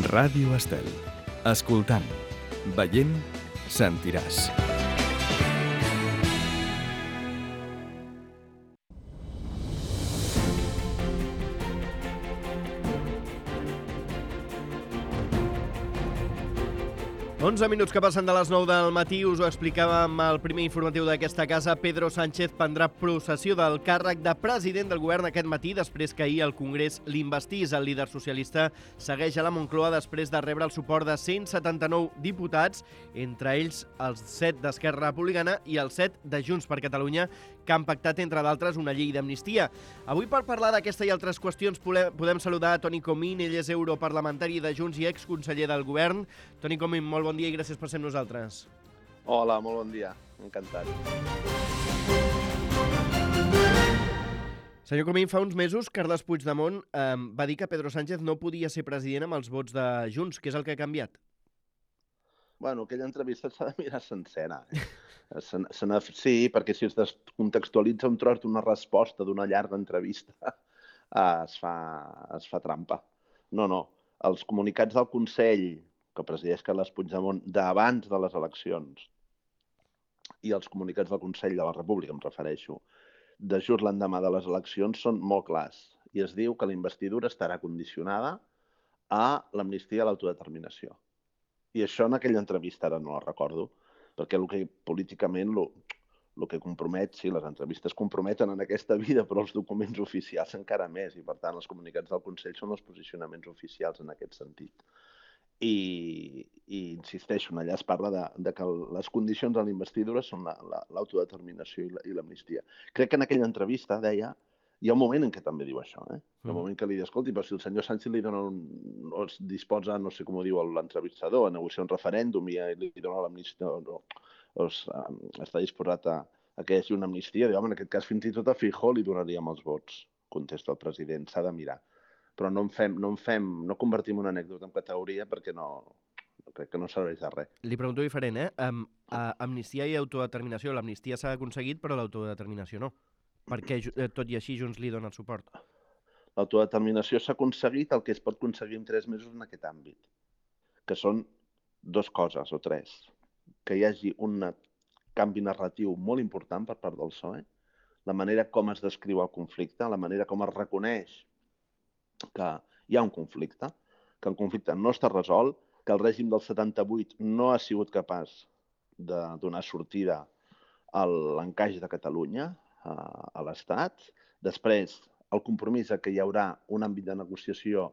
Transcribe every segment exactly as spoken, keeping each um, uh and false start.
Ràdio Estel. Escoltant, veient, sentiràs. onze minuts que passen de les nou del matí, us ho explicàvem al primer informatiu d'aquesta casa. Pedro Sánchez prendrà possessió del càrrec de president del govern aquest matí, després que ahir el Congrés l'investís. El líder socialista segueix a la Moncloa després de rebre el suport de cent setanta-nou diputats, entre ells els set d'Esquerra Republicana i els set de Junts per Catalunya, que han pactat, entre d'altres, una llei d'amnistia. Avui, per parlar d'aquesta i altres qüestions, podem saludar a Toni Comín. Ell és europarlamentari de Junts i exconseller del govern. Toni Comín, molt bon dia i gràcies per ser amb nosaltres. Hola, molt bon dia. Encantat. Senyor Comín, fa uns mesos Carles Puigdemont eh, va dir que Pedro Sánchez no podia ser president amb els vots de Junts. Què és el que ha canviat? Bueno, aquella entrevista s'ha de mirar sencera. Eh? Se, se sí, perquè si es descontextualitza un tros d'una resposta d'una llarga entrevista, eh, es, fa, es fa trampa. No, no. Els comunicats del Consell que presideix Carles Puigdemont d'abans de les eleccions i els comunicats del Consell de la República, em refereixo, de just l'endemà de les eleccions són molt clars i es diu que la investidura estarà condicionada a l'amnistia i l'autodeterminació. I això en aquella entrevista ara no la recordo, perquè el que políticament el, el que compromet, sí, les entrevistes comprometen en aquesta vida, però els documents oficials encara més, i per tant els comunicats del Consell són els posicionaments oficials en aquest sentit. I, i insisteixo, allà es parla de, de que les condicions de la investidura són l'autodeterminació la, i l'amnistia. Crec que en aquella entrevista deia, hi ha un moment en què també diu això, eh? Hi ha un moment que li diu, escolti, però si el senyor Sánchez li dona un, o es disposa, no sé com ho diu l'entrevistador, a negociar un referèndum i li dona l'amnistia, o, o es, està disposat a, a que hi hagi una amnistia, diu, home, en aquest cas fins i tot a Feijóo li donaríem els vots, contesta el president, s'ha de mirar. Però no en fem, no en fem, no convertim una anècdota en categoria perquè no, crec que no serveix de res. Li pregunto diferent, eh? Um, uh, amnistia i autodeterminació. L'amnistia s'ha aconseguit, però l'autodeterminació no. Per què, tot i així, Junts li dona el suport? L'autodeterminació s'ha aconseguit el que es pot aconseguir en tres mesos en aquest àmbit, que són dues coses o tres. Que hi hagi un canvi narratiu molt important per part del P S O E, la manera com es descriu el conflicte, la manera com es reconeix que hi ha un conflicte, que el conflicte no està resolt, que el règim del setanta-vuit no ha sigut capaç de donar sortida a l'encaix de Catalunya a l'Estat. Després, el compromís que hi haurà un àmbit de negociació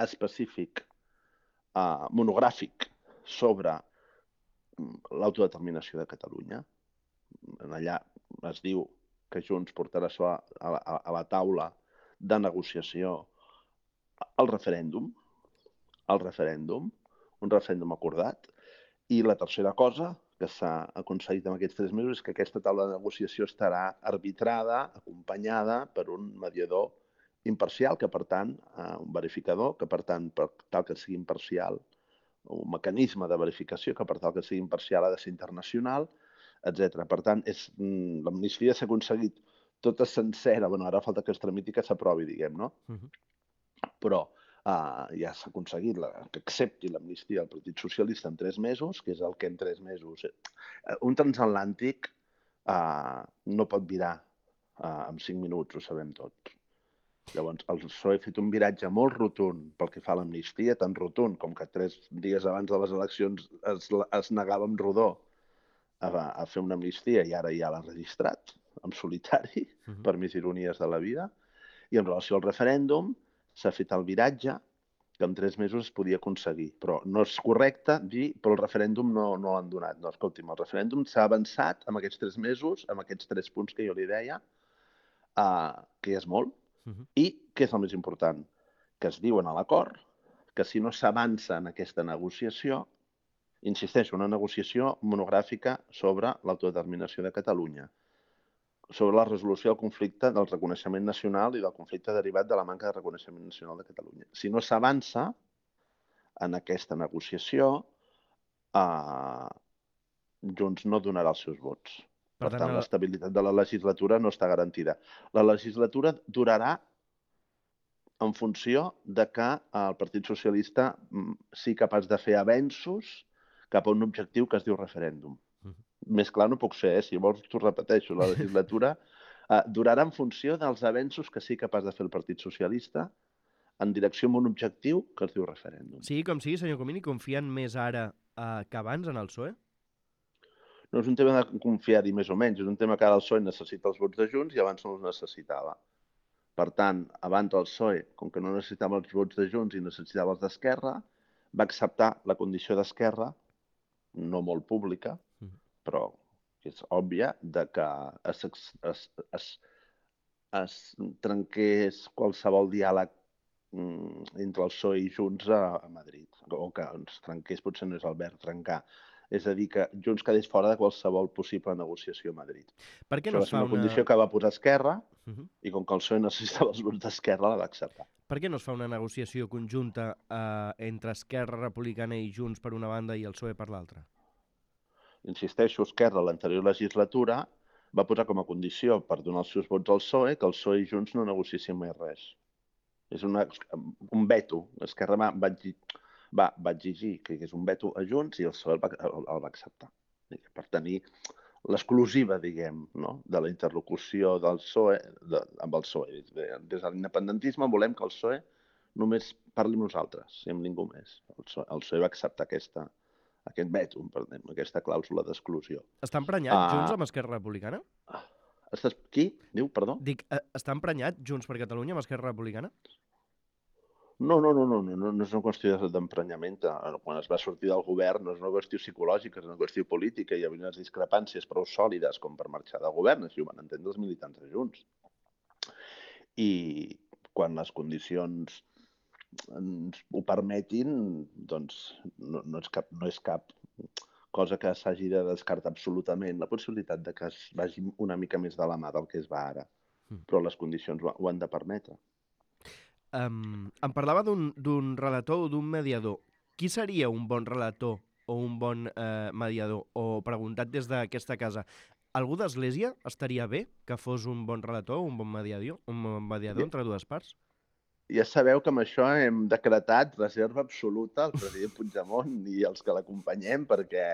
específic, eh, monogràfic, sobre l'autodeterminació de Catalunya. Allà es diu que Junts portarà a, a, a la taula de negociació el referèndum, el referèndum, un referèndum acordat, i la tercera cosa que s'ha aconseguit en aquests tres mesos és que aquesta taula de negociació estarà arbitrada, acompanyada per un mediador imparcial, que per tant, un verificador, que per tant, per tal que sigui imparcial, un mecanisme de verificació que per tal que sigui imparcial ha de ser internacional, etcètera. Per tant, l'amnistia s'ha aconseguit tota sencera, bueno, ara falta que es tramiti que s'aprovi, diguem, no? Però Uh, ja s'ha aconseguit la, que accepti l'amnistia del Partit Socialista en tres mesos, que és el que en tres mesos... Uh, un transatlàntic uh, no pot virar uh, en cinc minuts, ho sabem tots. Llavors, el P S O E ha fet un viratge molt rotund pel que fa a l'amnistia, tan rotund com que tres dies abans de les eleccions es, es negava amb rodó a, a fer una amnistia i ara ja l'ha registrat, en solitari, uh-huh. per més ironies de la vida. I en relació al referèndum, s'ha fet el viratge que en tres mesos es podia aconseguir. Però no és correcte dir, però el referèndum no, no l'han donat. No, escolti'm, el referèndum s'ha avançat en aquests tres mesos, amb aquests tres punts que jo li deia, uh, que és molt, uh-huh. i que és el més important, que es diuen a l'acord que si no s'avança en aquesta negociació, insisteixo, una negociació monogràfica sobre l'autodeterminació de Catalunya, sobre la resolució del conflicte del reconeixement nacional i del conflicte derivat de la manca de reconeixement nacional de Catalunya. Si no s'avança en aquesta negociació, eh, Junts no donarà els seus vots. Per, per tant, tant, l'estabilitat de la legislatura no està garantida. La legislatura durarà en funció de que el Partit Socialista sigui capaç de fer avenços cap a un objectiu que es diu referèndum. Uh-huh. Més clar no puc ser, eh? Si vols t'ho repeteixo, la legislatura eh, durarà en funció dels avenços que sigui capaç de fer el Partit Socialista en direcció a un objectiu que es diu referèndum. Sí, com sigui, senyor Comín, confien més ara eh, que abans en el P S O E? No és un tema de confiar-hi més o menys, és un tema que ara el P S O E necessita els vots de Junts i abans no els necessitava. Per tant, abans el P S O E, com que no necessitava els vots de Junts i necessitava els d'Esquerra, va acceptar la condició d'Esquerra, no molt pública, però és òbvia, de que es, es, es, es trenqués qualsevol diàleg entre el P S O E i Junts a, a Madrid, o que ens trenqués, potser no és el verb trencar, és a dir, que Junts quedés fora de qualsevol possible negociació a Madrid. Per què no Això va ser una una condició que va posar Esquerra, uh-huh. i com que el P S O E necessitava els vots d'Esquerra, la va acceptar. Per què no es fa una negociació conjunta eh, entre Esquerra Republicana i Junts per una banda i el P S O E per l'altra? Insisteixo, Esquerra, l'anterior legislatura, va posar com a condició per donar els seus vots al P S O E que el P S O E i Junts no negociessin mai res. És una, un veto. Esquerra va, va, va, va exigir que hi hagués un veto a Junts i el P S O E el va, el, el va acceptar. Per tenir l'exclusiva, diguem, no? de la interlocució del P S O E de, amb el P S O E. Des de l'independentisme volem que el P S O E només parli amb nosaltres i amb ningú més. El P S O E, el P S O E va acceptar aquesta, aquest veto, perdem, aquesta clàusula d'exclusió. Està emprenyat uh, Junts amb Esquerra Republicana? Estàs... Qui? Diu, perdó? Dic, uh, està emprenyat Junts per Catalunya amb Esquerra Republicana? No, no, no, no, no, no, no és una qüestió d'emprenyament. Quan es va sortir del govern no és una qüestió psicològica, és una qüestió política. Hi havia unes discrepàncies prou sòlides com per marxar del govern, així ho van entendre els militants de Junts. I quan les condicions ens ho permetin, doncs no, no, és cap, no és cap cosa que s'hagi de descartar absolutament la possibilitat de que es vagi una mica més de la mà del que es va ara. Però les condicions ho, ho han de permetre. Um, em parlava d'un relator o d'un mediador. Qui seria un bon relator o un bon eh, mediador? O preguntat des d'aquesta casa, algú d'Església estaria bé que fos un bon relator o un bon mediador, un bon mediador entre dues parts? Ja sabeu que amb això hem decretat reserva absoluta al president Puigdemont i els que l'acompanyem perquè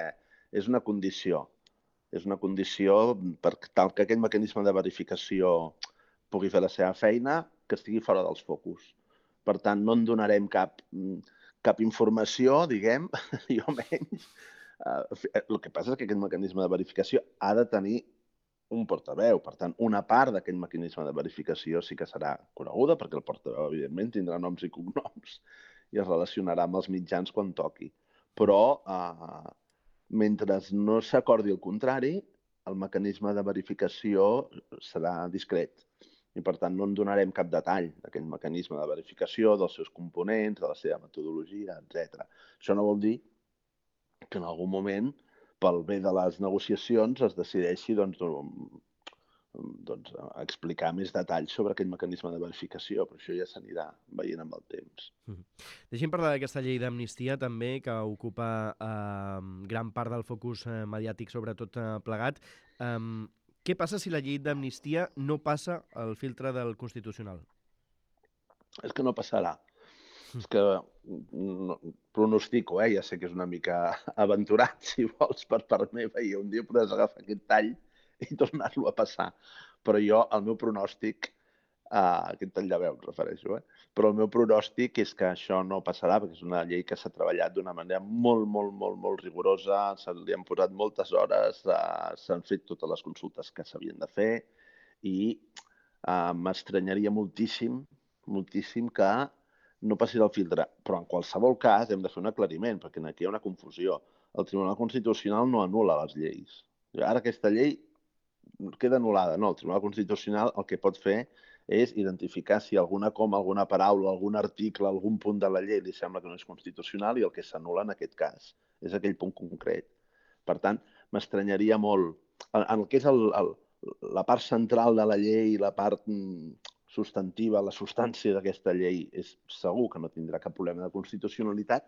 és una condició. És una condició per tal que aquest mecanisme de verificació pugui fer la seva feina, que estigui fora dels focus. Per tant, no en donarem cap, cap informació, diguem, jo menys. El que passa és que aquest mecanisme de verificació ha de tenir un portaveu. Per tant, una part d'aquest mecanisme de verificació sí que serà coneguda, perquè el portaveu, evidentment, tindrà noms i cognoms i es relacionarà amb els mitjans quan toqui. Però, eh, mentre no s'acordi el contrari, el mecanisme de verificació serà discret. I, per tant, no en donarem cap detall d'aquest mecanisme de verificació, dels seus components, de la seva metodologia, etcètera. Això no vol dir que en algun moment, pel bé de les negociacions, es decideixi doncs, doncs, explicar més detalls sobre aquest mecanisme de verificació, però això ja s'anirà veient amb el temps. Mm-hmm. Deixem parlar d'aquesta llei d'amnistia també, que ocupa eh, gran part del focus eh, mediàtic, sobretot eh, plegat. Um, Què passa si la llei d'amnistia no passa el filtre del Constitucional? És que no passarà. És que no, pronostico, eh? Ja sé que és una mica aventurat, si vols, per part meva, i un dia podràs agafar aquest tall i tornar-lo a passar. Però jo, el meu pronòstic, uh, aquest tall de veu em refereixo, eh? Però el meu pronòstic és que això no passarà, perquè és una llei que s'ha treballat d'una manera molt, molt, molt, molt rigorosa, se li han posat moltes hores, uh, s'han fet totes les consultes que s'havien de fer i uh, m'estranyaria moltíssim, moltíssim que no passi del filtre. Però en qualsevol cas hem de fer un aclariment, perquè aquí hi ha una confusió. El Tribunal Constitucional no anul·la les lleis. Ara aquesta llei queda anul·lada. No, el Tribunal Constitucional el que pot fer és identificar si alguna coma, alguna paraula, algun article, algun punt de la llei li sembla que no és constitucional i el que s'anul·la en aquest cas és aquell punt concret. Per tant, m'estranyaria molt. En el que és el, el, la part central de la llei, la part substantiva, la substància d'aquesta llei, és segur que no tindrà cap problema de constitucionalitat.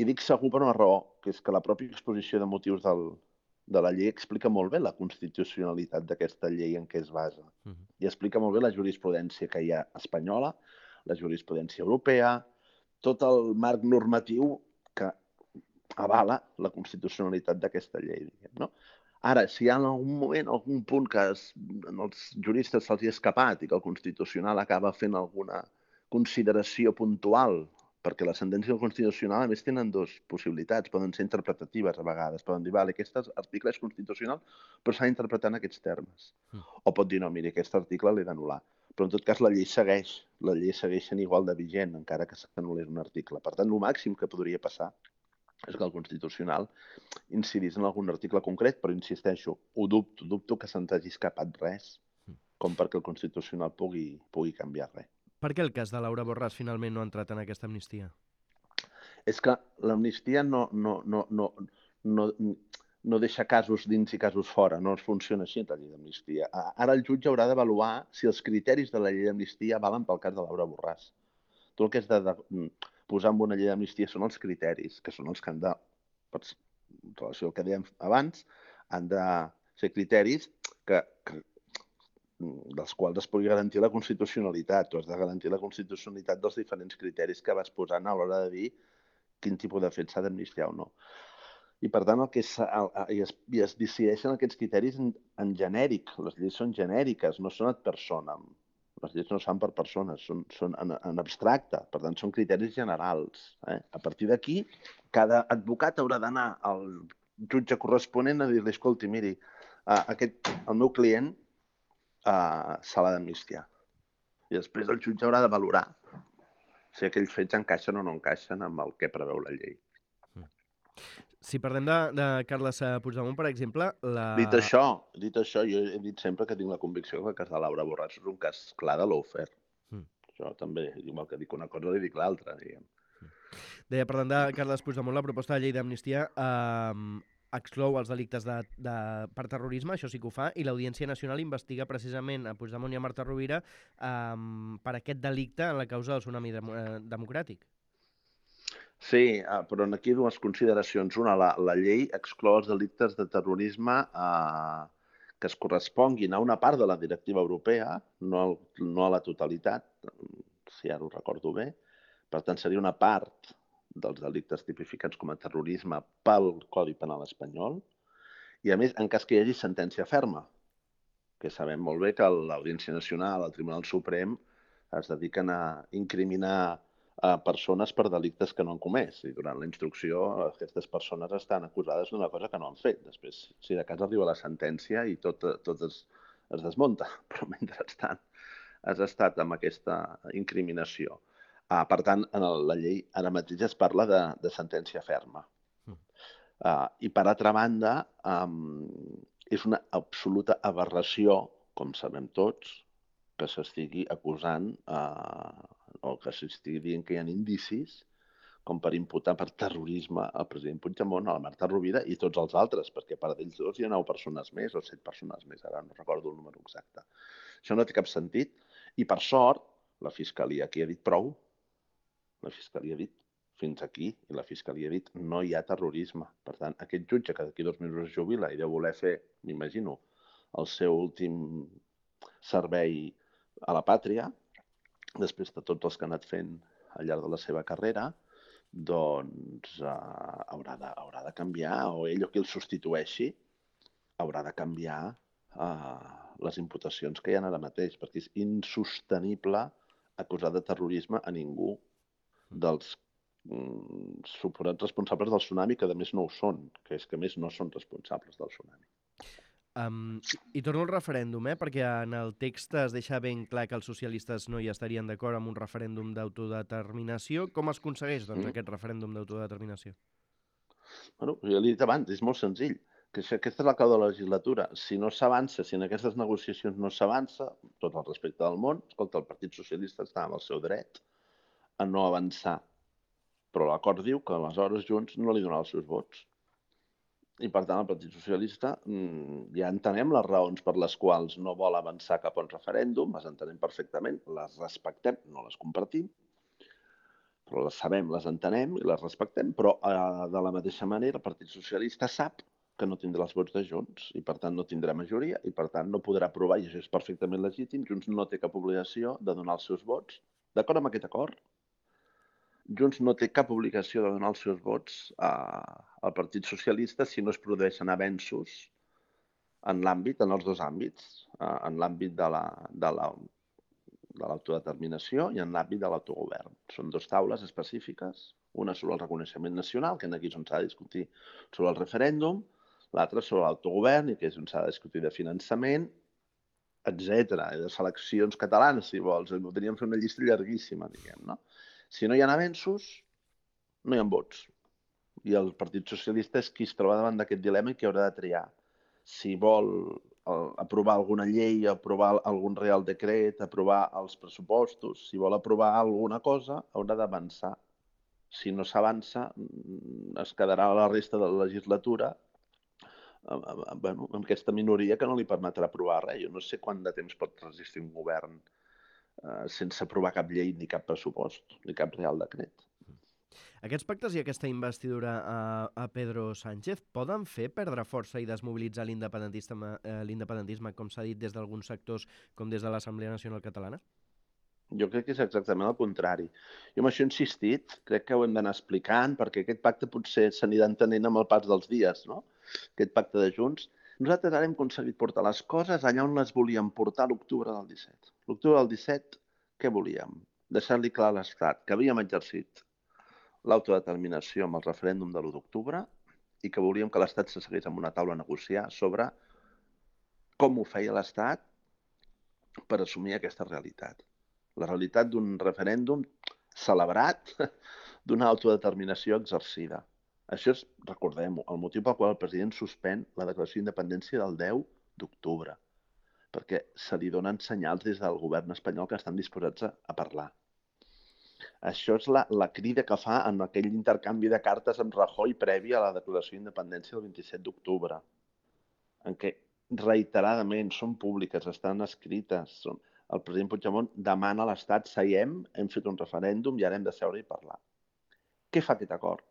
I dic segur per una raó, que és que la pròpia exposició de motius del, de la llei explica molt bé la constitucionalitat d'aquesta llei en què es basa. Uh-huh. I explica molt bé la jurisprudència que hi ha espanyola, la jurisprudència europea, tot el marc normatiu que avala la constitucionalitat d'aquesta llei, diguem, no? Ara, si hi ha en algun moment, algun punt que es, als juristes se'ls hi ha escapat i que el Constitucional acaba fent alguna consideració puntual, perquè la sentència del Constitucional, a més, tenen dues possibilitats, poden ser interpretatives a vegades, poden dir, vale, aquest article és constitucional, però s'ha d'interpretar en aquests termes. Mm. O pot dir, no, miri, aquest article l'he d'anul·lar. Però, en tot cas, la llei segueix, la llei segueix sent igual de vigent, encara que s'anul·lés un article. Per tant, el màxim que podria passar és que el Constitucional incidís en algun article concret, però insisteixo, ho dubto, dubto que se'ns hagi escapat res com perquè el Constitucional pugui, pugui canviar res. Per què el cas de Laura Borràs finalment no ha entrat en aquesta amnistia? És que l'amnistia no, no, no, no, no, no deixa casos dins i casos fora, no funciona així la llei d'amnistia. Ara el jutge haurà d'avaluar si els criteris de la llei d'amnistia valen pel cas de Laura Borràs. Tot el que és de, de posar en una llei d'amnistia són els criteris, que són els que han de, en relació al que dèiem abans, han de ser criteris que, que, dels quals es pugui garantir la constitucionalitat. Tu has de garantir la constitucionalitat dels diferents criteris que vas posant a l'hora de dir quin tipus de fet s'ha d'amnistiar o no. I, per tant, el que és, el, i, es, i es decideixen aquests criteris en, en genèric. Les lleis són genèriques, no són ad personam. Les lleis no es fan per persones, són, són en, en abstracte, per tant, són criteris generals. Eh? A partir d'aquí, cada advocat haurà d'anar al jutge corresponent a dir-li, escolti, miri, aquest, el meu client uh, se l'ha d'amnistiar. I després el jutge haurà de valorar si aquells fets encaixen o no encaixen amb el que preveu la llei. Si parlem de, de Carles Puigdemont, per exemple... La... Dit això, dit això, jo he dit sempre que tinc la convicció que el cas de Laura Borràs és un cas clar de lawfare. Mm. Això també, igual que dic una cosa, li dic l'altra, diguem. Deia, parlant de Carles Puigdemont, la proposta de llei d'amnistia eh, exclou els delictes de, de, per terrorisme, això sí que ho fa, i l'Audiència Nacional investiga precisament a Puigdemont i a Marta Rovira eh, per aquest delicte en la causa del tsunami dem eh, democràtic. Sí, però aquí dues consideracions. Una, la, la llei exclou els delictes de terrorisme eh, que es corresponguin a una part de la directiva europea, no, al, no a la totalitat, si ara ho recordo bé. Per tant, seria una part dels delictes tipificats com a terrorisme pel Codi Penal espanyol. I, a més, en cas que hi hagi sentència ferma, que sabem molt bé que l'Audiència Nacional, el Tribunal Suprem, es dediquen a incriminar a persones per delictes que no han comès. I durant la instrucció aquestes persones estan acusades d'una cosa que no han fet. Després, si de cas arriba la sentència i tot, tot es, es desmunta, però mentrestant has estat amb aquesta incriminació. Uh, per tant, en la llei ara mateix es parla de, de sentència ferma. Uh, I per altra banda, um, és una absoluta aberració, com sabem tots, que s'estigui acusant uh, o que s'estigui dient que hi ha indicis com per imputar per terrorisme al president Puigdemont, a la Marta Rovira i tots els altres, perquè per d'ells dos hi ha nou persones més o set persones més, ara no recordo el número exacte. Això no té cap sentit i, per sort, la Fiscalia aquí ha dit prou. La Fiscalia ha dit fins aquí i la Fiscalia ha dit no hi ha terrorisme. Per tant, aquest jutge que d'aquí dos mesos es jubila i deu voler fer, m'imagino, el seu últim servei a la pàtria, després de tots els que ha anat fent al llarg de la seva carrera, doncs uh, haurà, de, haurà de canviar, o ell o qui el substitueixi, haurà de canviar uh, les imputacions que hi ha ara mateix, perquè és insostenible acusar de terrorisme a ningú dels mm, suposats responsables del tsunami, que a més no ho són, que és que a més no són responsables del tsunami. Um, I torno al referèndum, eh? Perquè en el text es deixa ben clar que els socialistes no hi estarien d'acord amb un referèndum d'autodeterminació. Com es aconsegueix doncs, mm. aquest referèndum d'autodeterminació? Bueno, ja l'he dit abans, és molt senzill. Que aquesta és la clau de la legislatura. Si no s'avança, si en aquestes negociacions no s'avança, tot el respecte del món, escolta, el Partit Socialista està amb el seu dret a no avançar. Però l'acord diu que aleshores Junts no li donarà els seus vots. I, per tant, el Partit Socialista ja entenem les raons per les quals no vol avançar cap a un referèndum, les entenem perfectament, les respectem, no les compartim, però les sabem, les entenem i les respectem, però eh, de la mateixa manera el Partit Socialista sap que no tindrà els vots de Junts i, per tant, no tindrà majoria i, per tant, no podrà aprovar, i això és perfectament legítim. Junts no té cap obligació de donar els seus vots D'acord amb aquest acord, Junts no té cap obligació de donar els seus vots al Partit Socialista si no es produeixen avenços en l'àmbit, en els dos àmbits, en l'àmbit de la, de la, de l'autodeterminació i en l'àmbit de l'autogovern. Són dues taules específiques, una sobre el reconeixement nacional, que aquí és on s'ha de discutir sobre el referèndum, l'altra sobre l'autogovern, i que és on s'ha de discutir de finançament, etcètera, de seleccions catalanes, si vols. Podríem fer una llista llarguíssima, diguem, no? Si no hi ha avenços, no hi ha vots. I el Partit Socialista és qui es troba davant d'aquest dilema i qui haurà de triar. Si vol aprovar alguna llei, aprovar algun real decret, aprovar els pressupostos, si vol aprovar alguna cosa, haurà d'avançar. Si no s'avança, es quedarà a la resta de la legislatura bueno, amb aquesta minoria que no li permetrà aprovar res. Jo no sé quant de temps pot resistir un govern eh, sense aprovar cap llei ni cap pressupost, ni cap real decret. Aquests pactes i aquesta investidura a, a Pedro Sánchez poden fer perdre força i desmobilitzar l'independentisme, eh, l'independentisme, com s'ha dit des d'alguns sectors, com des de l'Assemblea Nacional Catalana? Jo crec que és exactament el contrari. Jo amb això he insistit, crec que ho hem d'anar explicant, perquè aquest pacte potser s'anirà entenent amb el pas dels dies, no? Aquest pacte de Junts. Nosaltres ara hem aconseguit portar les coses allà on les volíem portar l'octubre del disset. L'octubre del disset, què volíem? Deixar-li clar a l'Estat que havíem exercit l'autodeterminació amb el referèndum de l'u d'octubre i que volíem que l'Estat s'assegués en una taula a negociar sobre com ho feia l'Estat per assumir aquesta realitat. La realitat d'un referèndum celebrat, d'una autodeterminació exercida. Això és, recordem-ho, el motiu pel qual el president suspèn la declaració d'independència del deu d'octubre, perquè se li donen senyals des del govern espanyol que estan disposats a, a parlar. Això és la, la crida que fa en aquell intercanvi de cartes amb Rajoy previ a la declaració d'independència del vint-i-set d'octubre, en què reiteradament són públiques, estan escrites. Són... El president Puigdemont demana a l'Estat, seiem, hem fet un referèndum i ara hem de seure i parlar. Què fa aquest acord?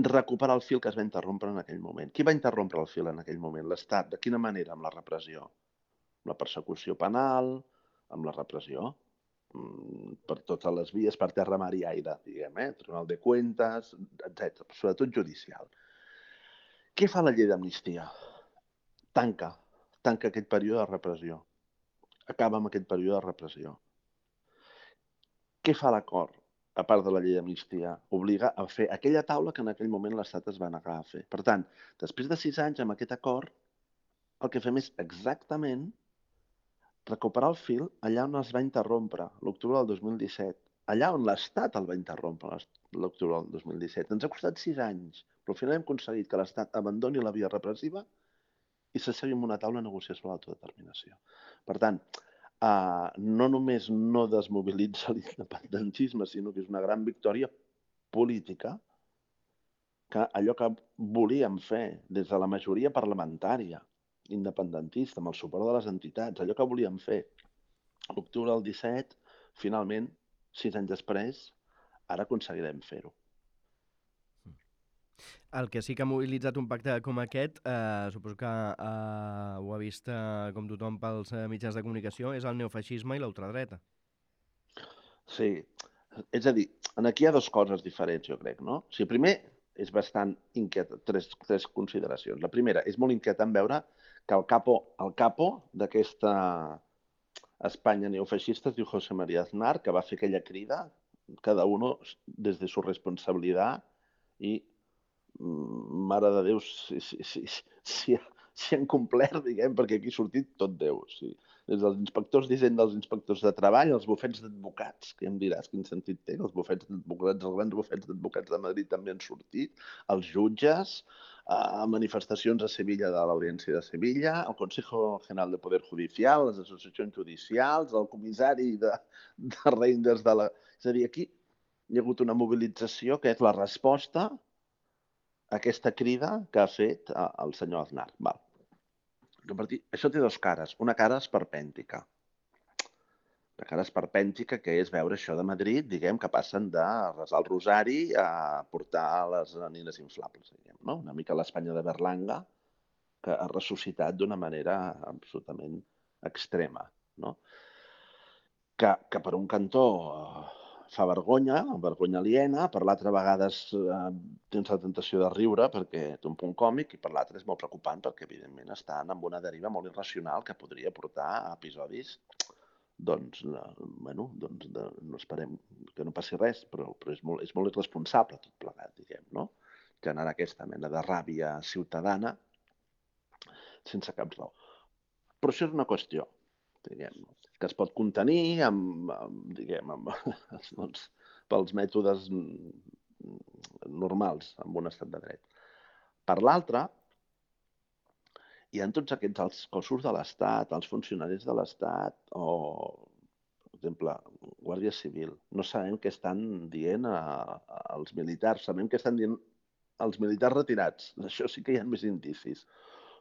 Recuperar el fil que es va interrompre en aquell moment. Qui va interrompre el fil en aquell moment? L'Estat. De quina manera? Amb la repressió. Amb la persecució penal, amb la repressió per totes les vies, per terra, mar i aire, diguem, eh? Tribunal de Cuentas, etcètera, sobretot judicial. Què fa la llei d'amnistia? Tanca, tanca aquest període de repressió. Acaba amb aquest període de repressió. Què fa l'acord, a part de la llei d'amnistia? Obliga a fer aquella taula que en aquell moment l'Estat es va negar a fer. Per tant, després de sis anys amb aquest acord, el que fem és exactament recuperar el fil allà on es va interrompre, l'octubre del dos mil disset. Allà on l'Estat el va interrompre, l'octubre del dos mil disset. Ens ha costat sis anys, però al final hem aconseguit que l'Estat abandoni la via repressiva i s'assegui en una taula a negociar sobre l'autodeterminació. Per tant, eh, no només no desmobilitza l'independentisme, sinó que és una gran victòria política que allò que volíem fer des de la majoria parlamentària independentista, amb el suport de les entitats, allò que volíem fer l'octubre del disset, finalment, sis anys després, ara aconseguirem fer-ho. El que sí que ha mobilitzat un pacte com aquest, eh, suposo que eh, ho ha vist eh, com tothom pels eh, mitjans de comunicació, és el neofeixisme i l'ultradreta. Sí, és a dir, aquí hi ha dues coses diferents, jo crec, no? O sigui, primer, és bastant inquietant, tres, tres consideracions. La primera, és molt inquietant veure que el capo, el capo d'aquesta Espanya neofeixista es diu José María Aznar, que va fer aquella crida, cada uno des de su responsabilitat i, mare de Déu, si, si, si, si, si han complert, diguem, perquè aquí ha sortit tot Déu. Sí. Des dels inspectors d'Hisenda, dels inspectors de treball, els bufets d'advocats, que ja em diràs quin sentit té, els bufets d'advocats, els grans bufets d'advocats de Madrid també han sortit, els jutges, a manifestacions a Sevilla de l'Audiència de Sevilla, el Consejo General de Poder Judicial, les associacions judicials, el comissari de, de Reinders de la... És a dir, aquí hi ha hagut una mobilització que és la resposta a aquesta crida que ha fet el senyor Aznar. Val. Això té dues cares. Una cara esperpèntica. La cara esperpèntica, que és veure això de Madrid, diguem, que passen de resar el rosari a portar les nines inflables, diguem, no? Una mica l'Espanya de Berlanga, que ha ressuscitat d'una manera absolutament extrema, no? que, que per un cantó eh, fa vergonya, vergonya aliena, per l'altra vegada eh, tens la tentació de riure perquè té un punt còmic, i per l'altra és molt preocupant perquè, evidentment, estan amb una deriva molt irracional que podria portar a episodis, doncs, eh, bueno, doncs de, no esperem que no passi res, però, però és, molt, és molt irresponsable tot plegat, diguem, no? Generar aquesta mena de ràbia ciutadana sense cap raó. Però això és una qüestió, diguem, que es pot contenir amb, amb diguem, amb, doncs, pels mètodes normals en un estat de dret. Per l'altra, hi ha tots aquests els cossos de l'Estat, els funcionaris de l'Estat, o, per exemple, Guàrdia Civil. No sabem què estan dient a, a, als militars, sabem què estan dient als militars retirats. Això sí que hi ha més indicis.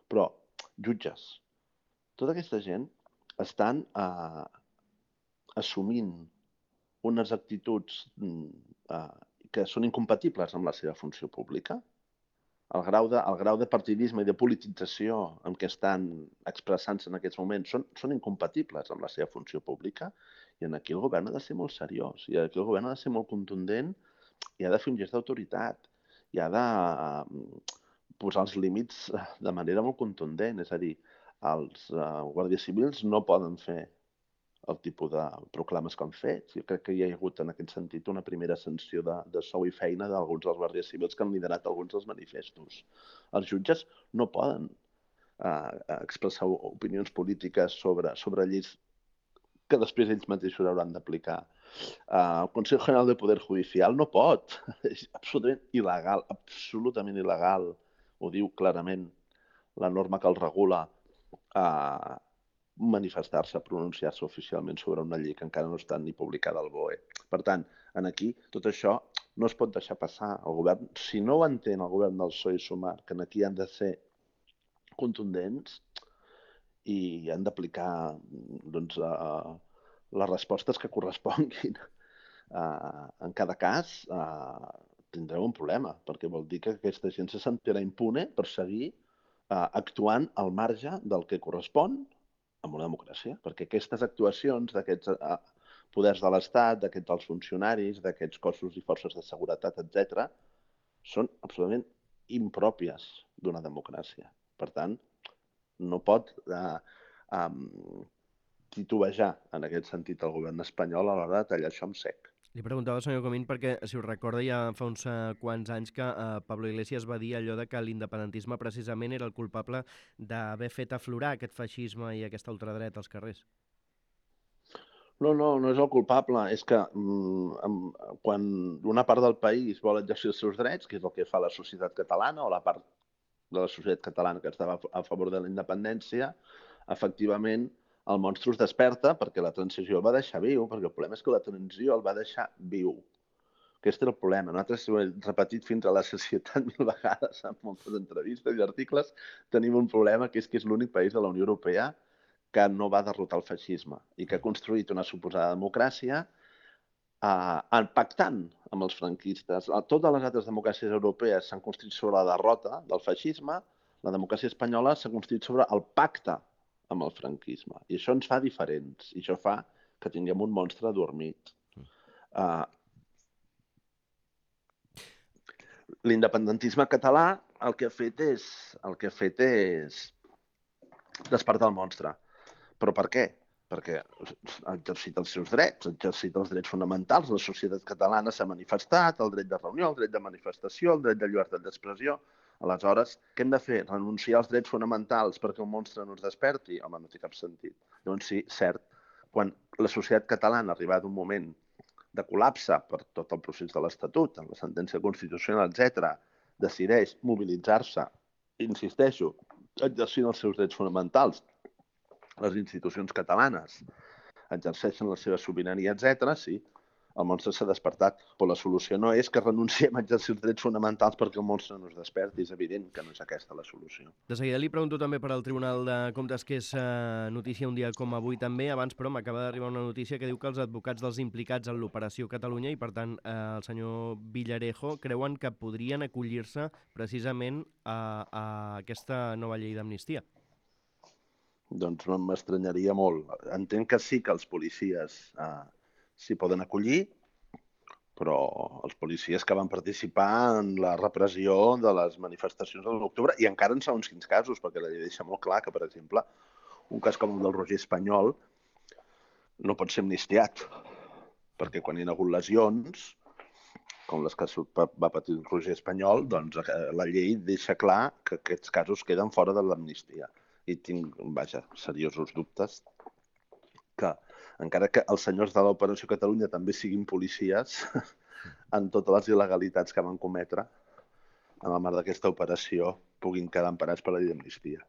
Però, jutges, tota aquesta gent estan eh, assumint unes actituds eh, que són incompatibles amb la seva funció pública. El grau de, el grau de partidisme i de politització en què estan expressant-se en aquests moments són, són incompatibles amb la seva funció pública, i en aquí el govern ha de ser molt seriós, i aquí el govern ha de ser molt contundent, i ha de fer un gest d'autoritat, i ha de posar els límits de manera molt contundent. És a dir, els uh, guàrdies civils no poden fer el tipus de proclames que han fet. Jo crec que hi ha hagut en aquest sentit una primera sanció de, de sou i feina d'alguns dels guàrdies civils que han liderat alguns dels manifestos. Els jutges no poden uh, expressar opinions polítiques sobre, sobre lleis que després ells mateixos hauran d'aplicar. Uh, el Consell General del Poder Judicial no pot. És absolutament il·legal, absolutament il·legal. Ho diu clarament la norma que el regula, a manifestar-se, pronunciar-se oficialment sobre una llei que encara no està ni publicada al B O E. Per tant, en aquí tot això no es pot deixar passar. El govern, si no ho entén el govern del P S O E i Sumar, que aquí han de ser contundents i han d'aplicar doncs, uh, les respostes que corresponguin uh, en cada cas, uh, tindreu un problema, perquè vol dir que aquesta gent se sentirà impune per seguir uh, actuant al marge del que correspon en una democràcia, perquè aquestes actuacions d'aquests uh, poders de l'Estat, d'aquests dels funcionaris, d'aquests cossos i forces de seguretat, etcètera, són absolutament impròpies d'una democràcia. Per tant, no pot uh, um, titubejar en aquest sentit el govern espanyol a l'hora de tallar això amb sec. Li preguntava, senyor Comín, perquè, si us recorda, ja fa uns uh, quants anys que uh, Pablo Iglesias va dir allò de que l'independentisme precisament era el culpable d'haver fet aflorar aquest feixisme i aquesta ultradreta als carrers. No, no, no és el culpable. És que mm, quan una part del país vol exercir els seus drets, que és el que fa la societat catalana, o la part de la societat catalana que estava a favor de la independència, efectivament el monstre es desperta perquè la transició el va deixar viu, perquè el problema és que la transició el va deixar viu. Aquest era el problema. Nosaltres ho hem repetit fins a la societat mil vegades en moltes entrevistes i articles. Tenim un problema que és que és l'únic país de la Unió Europea que no va derrotar el feixisme i que ha construït una suposada democràcia eh, pactant amb els franquistes. Totes les altres democràcies europees s'han construït sobre la derrota del feixisme, la democràcia espanyola s'ha construït sobre el pacte amb el franquisme. I això ens fa diferents. I això fa que tinguem un monstre adormit. Uh, L'independentisme català el que ha fet és, el que ha fet és despertar el monstre. Però per què? Perquè ha exercit els seus drets, ha exercit els drets fonamentals. La societat catalana s'ha manifestat, el dret de reunió, el dret de manifestació, el dret de llibertat d'expressió. Aleshores, què hem de fer? Renunciar als drets fonamentals perquè el monstre no es desperti? Home, no té cap sentit. Llavors sí, cert, quan la societat catalana ha arribat a un moment de col·lapse per tot el procés de l'Estatut, en la sentència constitucional, etcètera, decideix mobilitzar-se, insisteixo, exercint els seus drets fonamentals, les institucions catalanes exerceixen la seva sobirania, etcètera, sí, el monstre s'ha despertat, però la solució no és que renunciem a exercir els drets fonamentals perquè el monstre no es desperti. És evident que no és aquesta la solució. De seguida li pregunto també per al Tribunal de Comptes, que és uh, notícia un dia com avui també. Abans, però, m'acaba d'arribar una notícia que diu que els advocats dels implicats en l'Operació Catalunya i, per tant, uh, el senyor Villarejo creuen que podrien acollir-se precisament a, a aquesta nova llei d'amnistia. Doncs m'estranyaria molt. Entenc que sí que els policies eh, s'hi poden acollir, però els policies que van participar en la repressió de les manifestacions de l'u d'octubre, i encara en segons quins casos, perquè la llei deixa molt clar que, per exemple, un cas com el del Roger Espanyol no pot ser amnistiat, perquè quan hi ha hagut lesions, com les que va patir el Roger Espanyol, doncs la llei deixa clar que aquests casos queden fora de l'amnistia. I tinc, vaja, seriosos dubtes que, encara que els senyors de l'Operació Catalunya també siguin policies, en totes les il·legalitats que van cometre en el marc d'aquesta operació puguin quedar emparats per la llei d'amnistia.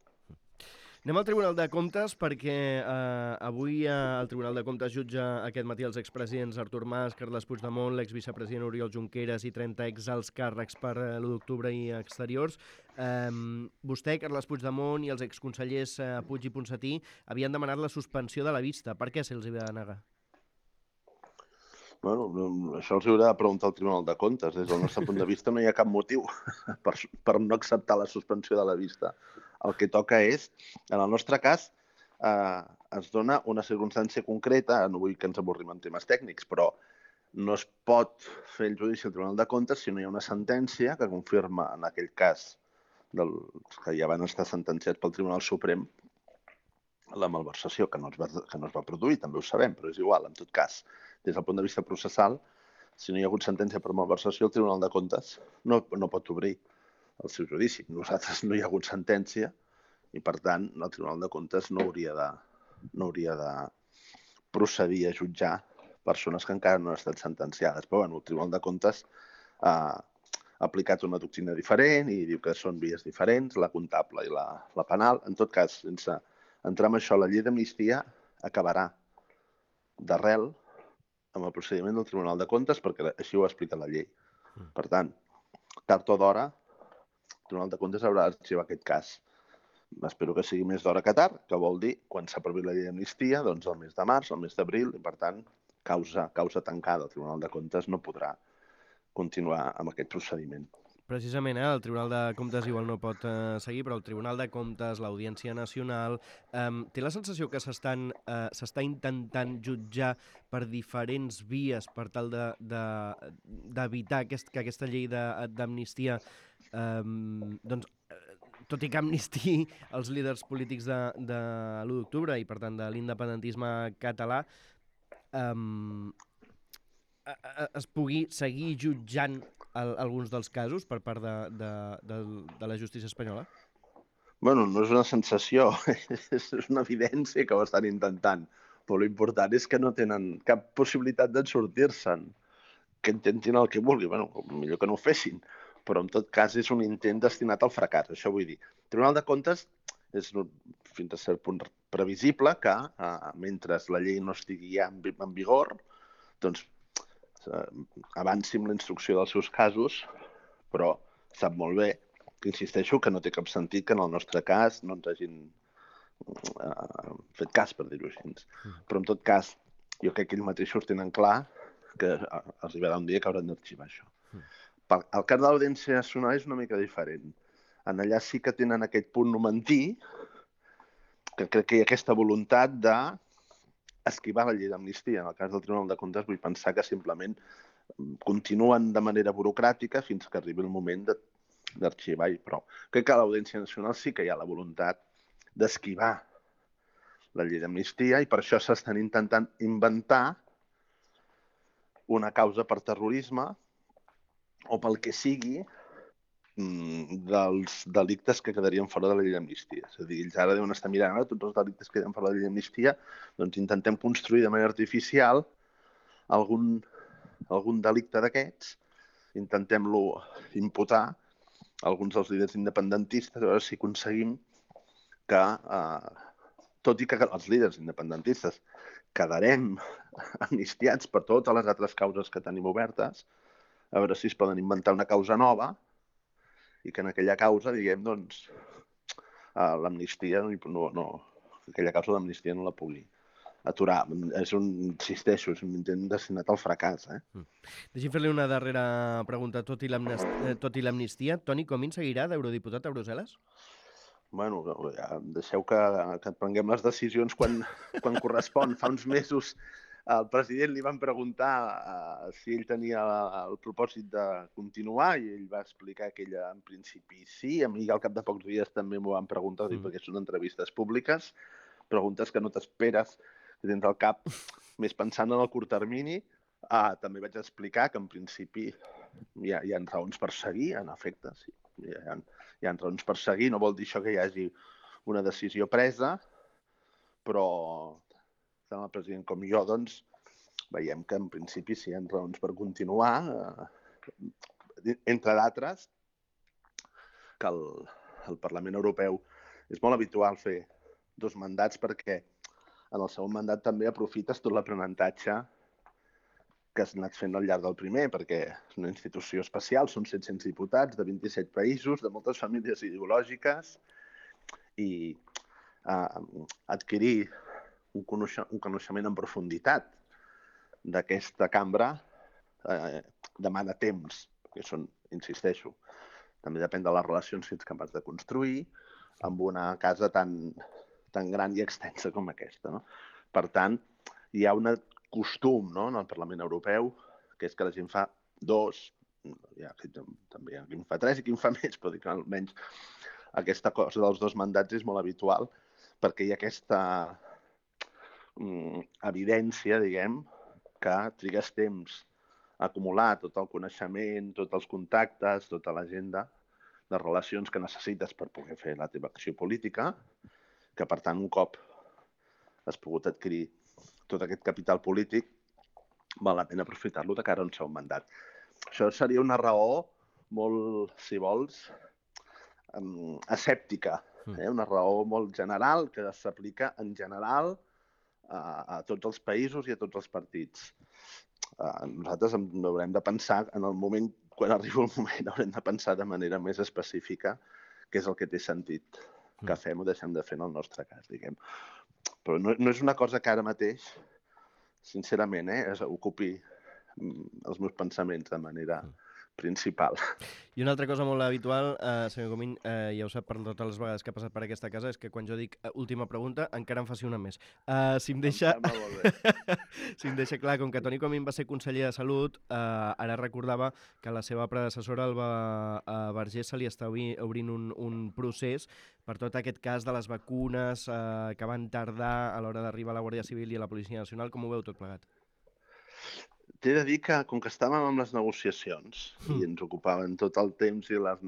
Anem al Tribunal de Comptes perquè eh, avui eh, el Tribunal de Comptes jutja aquest matí els expresidents Artur Mas, Carles Puigdemont, l'exvicepresident Oriol Junqueras i trenta exalts càrrecs per eh, l'u d'octubre i exteriors. Eh, vostè, Carles Puigdemont i els exconsellers eh, Puig i Ponsatí havien demanat la suspensió de la vista. Per què se'ls va negar? Bueno, això els haurà de preguntar al Tribunal de Comptes. Des del nostre punt de vista no hi ha cap motiu per, per no acceptar la suspensió de la vista. El que toca és, en el nostre cas, eh, es dona una circumstància concreta, no vull que ens avorrim en temes tècnics, però no es pot fer el judici al Tribunal de Comptes si no hi ha una sentència que confirma, en aquell cas, dels que ja van estar sentenciats pel Tribunal Suprem, la malversació, que no, es va, que no es va produir, també ho sabem, però és igual, en tot cas. Des del punt de vista processal, si no hi ha hagut sentència per malversació, el Tribunal de Comptes no, no pot obrir el seu judici. Nosaltres no hi ha hagut sentència i, per tant, el Tribunal de Comptes no hauria de, no hauria de procedir a jutjar persones que encara no han estat sentenciades. Però bueno, el Tribunal de Comptes ha aplicat una doctrina diferent i diu que són vies diferents, la comptable i la, la penal. En tot cas, sense entrar en això, la llei d'amnistia acabarà d'arrel amb el procediment del Tribunal de Comptes, perquè així ho explica la llei. Per tant, tard o d'hora, el Tribunal de Comptes haurà d'arxivar aquest cas. Espero que sigui més d'hora que tard, que vol dir, quan s'aprovi la llei d'amnistia, doncs el mes de març, el mes d'abril, i per tant, causa, causa tancada. El Tribunal de Comptes no podrà continuar amb aquest procediment. Precisament, eh, el Tribunal de Comptes igual no pot eh, seguir, però el Tribunal de Comptes, l'Audiència Nacional, eh, té la sensació que s'estan eh, s'està intentant jutjar per diferents vies per tal de, de, d'evitar aquest, que aquesta llei d'amnistia eh, doncs, tot i que amnistiï els líders polítics de, de l'u d'octubre i, per tant, de l'independentisme català, eh, es pugui seguir jutjant el, alguns dels casos per part de, de, de, de la justícia espanyola? Bueno, no és una sensació, és una evidència que ho estan intentant, però l'important és que no tenen cap possibilitat de sortir-se'n, que intentin el que vulguin. Bueno, millor que no ho fessin, però en tot cas és un intent destinat al fracàs, això vull dir. El Tribunal de Comptes és fins a cert punt previsible que, eh, mentre la llei no estigui ja en, en vigor, doncs eh, avanci amb la instrucció dels seus casos, però sap molt bé que insisteixo que no té cap sentit que en el nostre cas no ens hagin eh, fet cas, per dir-ho així. Però en tot cas, jo crec que ells mateixos tenen clar que arribarà un dia que hauran d'arxivar això. El cas de l'Audiència Nacional és una mica diferent. En allà sí que tenen aquest punt numentí, que crec que hi ha aquesta voluntat d'esquivar la llei d'amnistia. En el cas del Tribunal de Comptes vull pensar que simplement continuen de manera burocràtica fins que arribi el moment d'arxivar. Però crec que a l'Audiència Nacional sí que hi ha la voluntat d'esquivar la llei d'amnistia i per això s'estan intentant inventar una causa per terrorisme o pel que sigui dels delictes que quedarien fora de la llei d'amnistia. És a dir, ells ara deuen estar mirant, tots els delictes que queden fora de la llei d'amnistia, doncs intentem construir de manera artificial algun, algun delicte d'aquests, intentem-lo imputar a alguns dels líders independentistes, a veure si aconseguim que, eh, tot i que els líders independentistes quedarem amnistiats per totes les altres causes que tenim obertes, a veure si es poden inventar una causa nova i que en aquella causa, diguem, doncs, l'amnistia, no, no, aquella causa d'amnistia no la pugui aturar. És un, insisteixo, és un intent destinat al fracàs. Eh? Mm. Deixi'm fer-li una darrera pregunta. Tot i l'amnistia, Toni Comín seguirà d'eurodiputat a Brussel·les? Bueno, ja, deixeu que, que prenguem les decisions quan, quan correspon. Fa uns mesos al president li van preguntar uh, si ell tenia el propòsit de continuar i ell va explicar que ell en principi sí. A mi al cap de pocs dies també m'ho van preguntar, mm. perquè són entrevistes públiques, preguntes que no t'esperes dins del cap, més pensant en el curt termini. Uh, també vaig explicar que en principi hi ha, hi ha raons per seguir, en efecte, sí. Hi ha, hi ha raons per seguir, no vol dir això que hi hagi una decisió presa, però tant el president com jo, doncs, veiem que en principi sí hi ha raons per continuar, eh, entre d'altres, que el, el Parlament Europeu és molt habitual fer dos mandats perquè en el segon mandat també aprofites tot l'aprenentatge que has anat fent al llarg del primer, perquè és una institució especial, són set-cents diputats de vint-i-set països, de moltes famílies ideològiques, i eh, adquirir un, coneixement, un coneixement en profunditat d'aquesta cambra eh, demana temps, perquè són, insisteixo, també depèn de les relacions que ets capaç de construir amb una casa tan, tan gran i extensa com aquesta, no? Per tant, hi ha un costum, no?, en el Parlament Europeu, que és que la gent fa dos, ja, també hi ha qui en fa tres i qui en fa més, però dic que almenys aquesta cosa dels dos mandats és molt habitual, perquè hi ha aquesta mm, evidència, diguem, que trigues temps a acumular tot el coneixement, tots els contactes, tota l'agenda de relacions que necessites per poder fer la teva acció política, que per tant un cop has pogut adquirir tot aquest capital polític, val la pena aprofitar-lo de cara a un segon mandat. Això seria una raó molt, si vols, um, escèptica, eh? Una raó molt general que s'aplica en general a, a tots els països i a tots els partits. Uh, nosaltres haurem de pensar, en el moment, quan arriba el moment, haurem de pensar de manera més específica què és el que té sentit que fem o deixem de fer en el nostre cas, diguem. Però no, no és una cosa que ara mateix, sincerament, eh, es ocupi els meus pensaments de manera principal. I una altra cosa molt habitual, eh, senyor Comín, eh, ja ho sap per totes les vegades que ha passat per aquesta casa, és que quan jo dic uh, última pregunta, encara em faci una més. Uh, si, em deixa... si em deixa clar, com que Toni Comín va ser conseller de Salut, eh, ara recordava que la seva predecessora, Alba uh, Vergés, se li està obrint un, un procés per tot aquest cas de les vacunes eh, que van tardar a l'hora d'arribar a la Guàrdia Civil i a la Policia Nacional. Com ho veu tot plegat? T'he de dir que, com que estàvem amb les negociacions mm. i ens ocupaven tot el temps i les,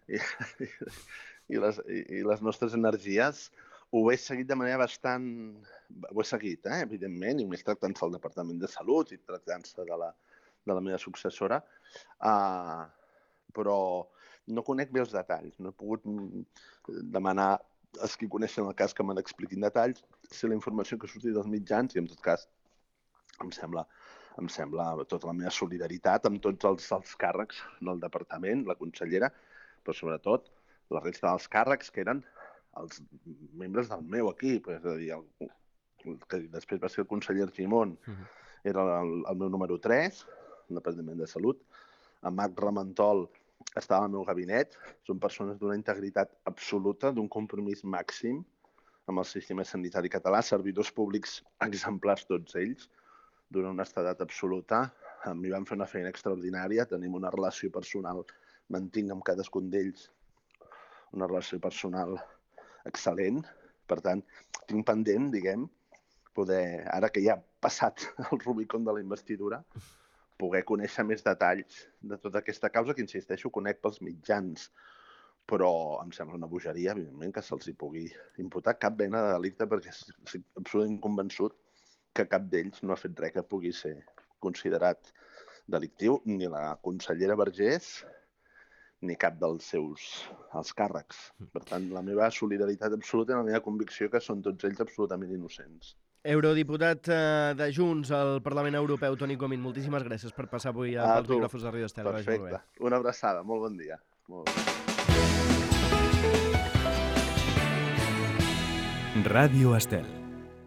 i, i, les, i les nostres energies, ho he seguit de manera bastant... Ho he seguit, eh, evidentment, i més tractant-se al Departament de Salut i tractant-se de, la, de la meva successora, uh, però no conec bé els detalls. No he pogut demanar als qui coneixen el cas que me n'expliquin detalls, si la informació que ha sortit dels mitjans, i en tot cas em sembla... Em sembla tota la meva solidaritat amb tots els, els càrrecs del departament, la consellera, però sobretot la resta dels càrrecs que eren els membres del meu equip. És a dir, el, el que després va ser el conseller Argimon, uh-huh. era el, el meu número tres, el Departament de Salut. En Marc Ramentol estava al meu gabinet. Són persones d'una integritat absoluta, d'un compromís màxim amb el sistema sanitari català, servidors públics exemplars tots ells, d'una honestedat absoluta. A mi van fer una feina extraordinària, tenim una relació personal, mantinc amb cadascun d'ells una relació personal excel·lent. Per tant, tinc pendent, diguem, poder, ara que ja ha passat el Rubicon de la investidura, poder conèixer més detalls de tota aquesta causa, que, insisteixo, conec pels mitjans. Però em sembla una bogeria, evidentment, que se'ls hi pugui imputar cap mena de delicte, perquè estic absolutament convençut que cap d'ells no ha fet res que pugui ser considerat delictiu, ni la consellera Vergés, ni cap dels seus els càrrecs. Per tant, la meva solidaritat absoluta i la meva convicció que són tots ells absolutament innocents. Eurodiputat de Junts al Parlament Europeu, Toni Comín, moltíssimes gràcies per passar avui pels micròfons de Ràdio Estel. Perfecte. Una abraçada. Molt bon dia. Molt bon dia. Ràdio Estel.